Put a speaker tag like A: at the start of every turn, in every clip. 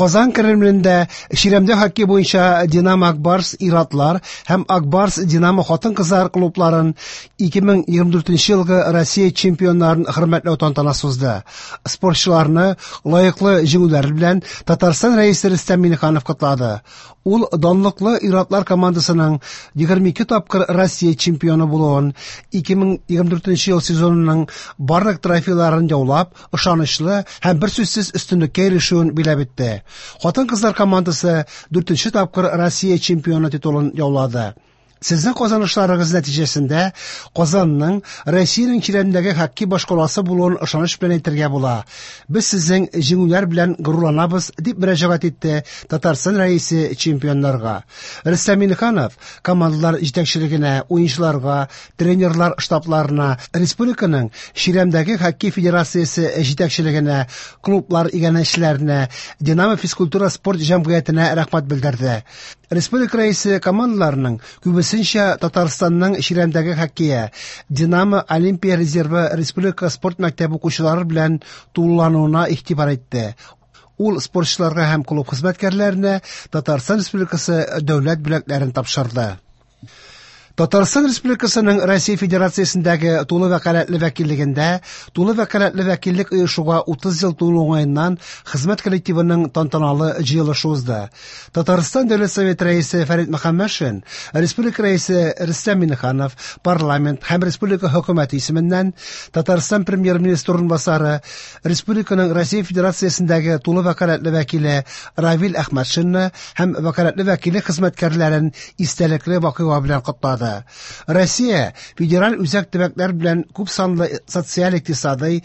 A: Казан Кремлендә чирәмдә хоккей буенча Динамо Ак Барс ир-атлар һәм Ак Барс Динамо хатын-кызлар клубларын 2024 елгы Россия чемпионнарын хөрмәтләү тантанасы узды. Спортчыларны лаеклы җиңүләре белән Татарстан Рәисе Рөстәм Миңнеханов котлады. Ул данлыклы ир-атлар командасының 22 тапкыр Россия чемпионы булуын, 2024 ел сезонының барлык трофейларын яулап, ышанычлы һәм берсүзсез өстенлеккә ирешүен биләп итте. Хатын-кызлар командасы дүртенче тапкыр Россия чемпионы титулын яулады. Сезнең казанышларыгыз нәтиҗәсендә Казанның Россиянең чирәмдәге хоккей башкаласы булуын ышаныч белән әйтергә була. Без сезнең җиңүләр белән горурланабыз, дип мөрәҗәгать итте Татарстан Рәисе чемпионнарга. Рөстәм Миңнеханов командалар җитәкчелегенә, уенчыларга, тренерлар штабларына, республиканың чирәмдәге хоккей федерациясе җитәкчелегенә, клублар иганәчеләренә, Динамо физкультура-спорт җәмгыятенә рәхмәт белдерде. Республика Рәисе командаларының күбесенчә Татарстанның чирәмдәге хоккее, Динамо Олимпия резервы республика спорт мәктәбе укучылары белән тулылануына игътибар итте. Ул спортчыларга һәм клуб хезмәткәрләренә Татарстан Республикасы дәүләт бүләкләрен тапшырды. Татарстан Республикасының Россия Федерациясендәге тулы вәкаләтле вәкиллегендә тулы вәкаләтле вәкиллек оешуга 30 ел тулу уңаеннан хезмәт коллективының тантаналы җыелышы узды. Татарстан Дәүләт Советы Рәисе Фәрит Мөхәммәтшин, Республика Рәисе Рөстәм Миңнеханов, парламент һәм республика хөкүмәте исеменнән Татарстан Премьер-министры урынбасары, республиканың Россия Федерациясендәге тулы вәкаләтле вәкиле Равил Әхмәтшинны һәм вәкаләтле вәкиллек хезмәткәрләрен истәлекле вакыйга белән котлады. Россия федераль үзәк төбәкләр белән күпсанлы социаль-икътисадый,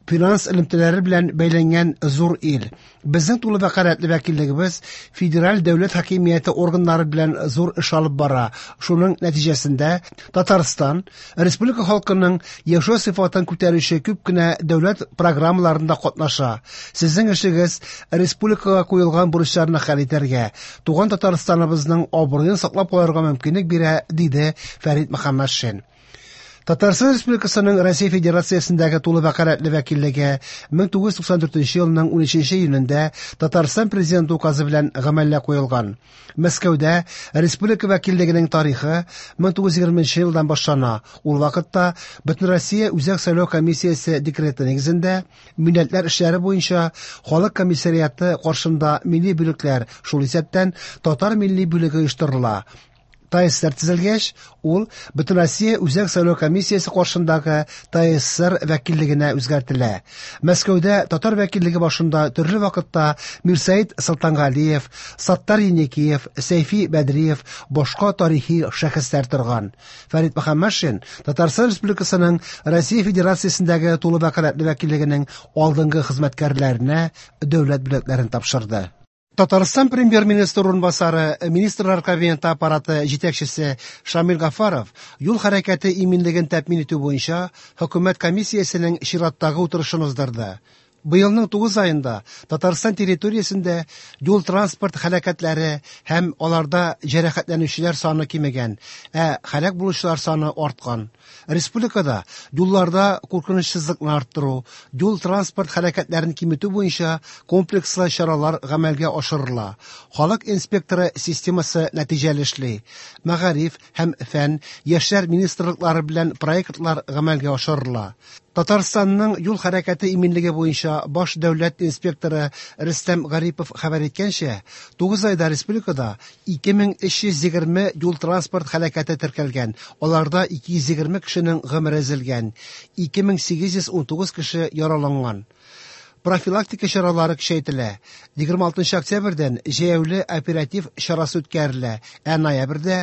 A: финанс элемтәләре белән бәйләнгән зур ил. Безнең тулы вәкаләтле вәкиллегебез федераль дәүләт хакимияте органнары белән зур эш алып бара. Шуның нәтиҗәсендә Татарстан республика халкының яшәү сыйфатын күтәрүче күп кенә дәүләт программаларында катнаша. Сезнең эшегез республикага куелган бурычларны хәл итәргә, туган Татарстаныбызның абруен саклап калырга мөмкинлек бирә, диде Фәрит Мөхәммәтшин. Татарстан Республикасының Россия Федерациясендәге тулы вәкаләтле вәкиллеге 1994 елның 13 июнендә Татарстан Президенты указы белән гамәлгә куелган. Мәскәүдә республика вәкиллегенең тарихы 1920 елдан башлана. Ул вакытта Бөтенроссия Үзәк сайлау комиссиясе декреты нигезендә милләтләр эшләре буенча халык комиссариаты каршында милли бүлекләр, шул исәптән татар милли бүлеге оештырыла. ТАССР төзелгәч, ул Бөтенроссия Үзәк сайлау комиссиясе каршындагы ТАССР вәкиллегенә үзгәртелә. Мәскәүдә татар вәкиллеге башында төрле вакытта Мирсәет Солтангалиев, Саттар Еникиев, Сәйфи Бәдриев, башка тарихи шәхесләр торган. Фәрит Мөхәммәтшин Татарстан Республикасының Россия Федерациясендәге тулы вәкаләтле вәкиллегенең алдынгы хезмәткәрләренә дәүләт бүләкләрен тапшырды. Татарстан Премьер-министры урынбасары, Министрлар Кабинеты аппараты җитәкчесе Шамил Гафаров юл хәрәкәте иминлеген тәэмин итү буенча хөкүмәт комиссиясенең чираттагы утырышын уздырды. Быелның 9 аенда Татарстан территориясендә юл-транспорт һәлакәтләре һәм аларда җәрәхәтләнүчеләр саны кимегән, ә һәлак булучылар саны арткан. Республикада юлларда куркынычсызлыкны арттыру, юл-транспорт һәлакәтләрен киметү буенча комплекслы чаралар гамәлгә ашырыла. Халык инспекторы системасы нәтиҗәле эшли. Мәгариф һәм фән, яшьләр министрлыклары белән проектлар гамәлгә ашырыла. Татарстанның юл хәрәкәте иминлеге буенча баш дәүләт инспекторы Рөстәм Гарипов хәбәр иткәнчә, 9 айда республикада 2320 юл-транспорт һәлакәте теркәлгән, аларда 220 кешенең гомере өзелгән, 2819 кеше яраланган. Профилактика чаралары көчәйтелә. 26 октябрьдән җәяүле оператив чарасы үткәрелә, ә ноябрьдә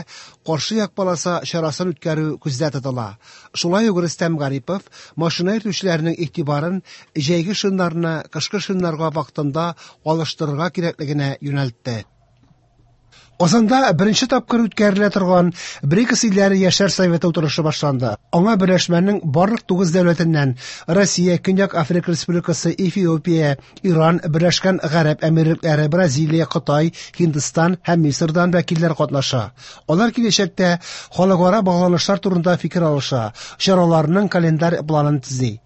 A: каршы як полоса чарасын үткәрү күздә тотыла. Шулай ук Рөстәм Гарипов машина йөртүчеләрнең игътибарын җәйге шиннарны кышкы шиннарга вакытында алыштырырга кирәклегенә юнәлтте. Казанда беренче тапкыр үткәрелә торган БРИКС илләре яшьләр советы утырышы башланды. Аңа берләшмәнең барлык 9 дәүләтеннән Россия, Көньяк Африка Республикасы, Эфиопия, Иран, Берләшкән Гарәп Әмирлекләре, Бразилия, Кытай, Һиндстан һәм Мисырдан вәкилләр катнаша. Алар киләчәктә халыкара багланышлар турында фикер алыша, чараларның календарь планын төзи.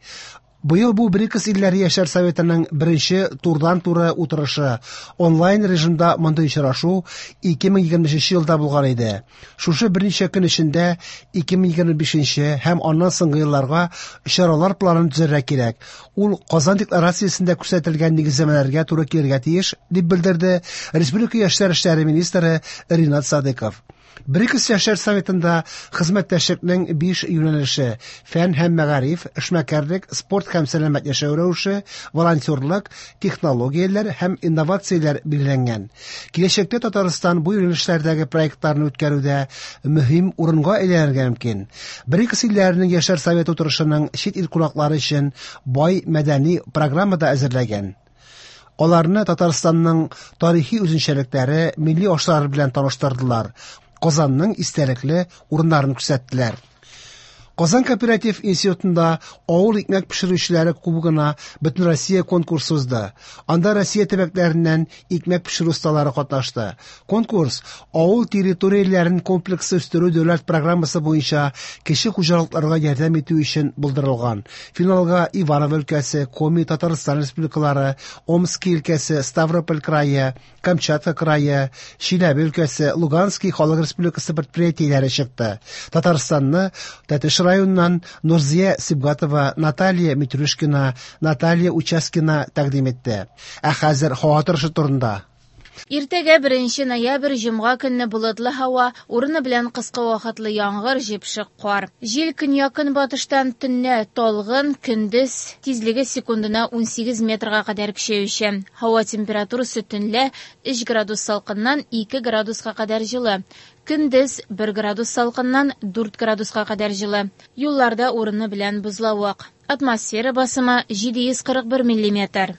A: Быел бу БРИКС илләре Яшьләр советының беренче турыдан-туры утырышы. Онлайн режимда мондый очрашу 2023 елда булган иде. Шушы берничә көн эчендә 2025 һәм аннан соңгы елларга чаралар планын төзергә кирәк. Ул Казан декларациясендә күрсәтелгән нигезләмәләргә туры килергә тиеш, дип белдерде республика яшьләр эшләре министры Ринат Садыков. БРИКС яшьләр советында хезмәттәшлекнең 5 юнәлеше: фән һәм мәгариф, эшмәкәрлек, спорт һәм сәламәт яшәү рәвеше, волонтерлык, технологияләр һәм инновацияләр билгеләнгән. Киләчәктә Татарстан бу юнәлешләрдәге проектларны үткәрүдә мөһим урынга әйләнергә мөмкин. БРИКС илләренең яшьләр советы утырышының чит ил кунаклары өчен бай мәдәни программа да әзерләгән. Аларны Татарстанның тарихи үзенчәлекләре, милли ашлары белән таныштырдылар. Казанның истәлекле урыннарын күрсәттеләр. Казан кооператив институтында авыл икмәк пешерүчеләре кубогына Бөтенроссия конкурсы узды. Анда Россия төбәкләреннән икмәк пешерү осталары катнашты. Конкурс авыл территорияләрен комплекслы үстерү дәүләт программасы буенча кече хуҗалыкларга ярдәм итү өчен булдырылган. Финалга Иваново өлкәсе, Коми, Татарстан республикалары, Омски өлкәсе, Ставрополь крае, Камчатка крае, Чиләбе өлкәсе, Луганский халык республикасы предприятиеләре чыкты. Татарстанны Тәтеш районыннан Нурзия Сибгатова, Наталья Митрюшкина, Наталья Учаскина тәкъдим итте. Ә хәзер һава торышы турында.
B: Иртәгә 1 ноябрь җомга көнне болытлы һава, урыны белән кыска вакытлы яңгыр, җепшек кар. Җил көньяк-көнбатыштан төнлә талгын, көндез тизлеге секундына 18 метрга кадәр көчәючән. Һава температурасы төнлә 3 градус салкыннан 2 градуска кадәр җылы. Көндез 1 градус салкыннан 4 градуска кадәр җылы. Юлларда урыны белән бозлавык. Атмосфера басымы 741 миллиметр.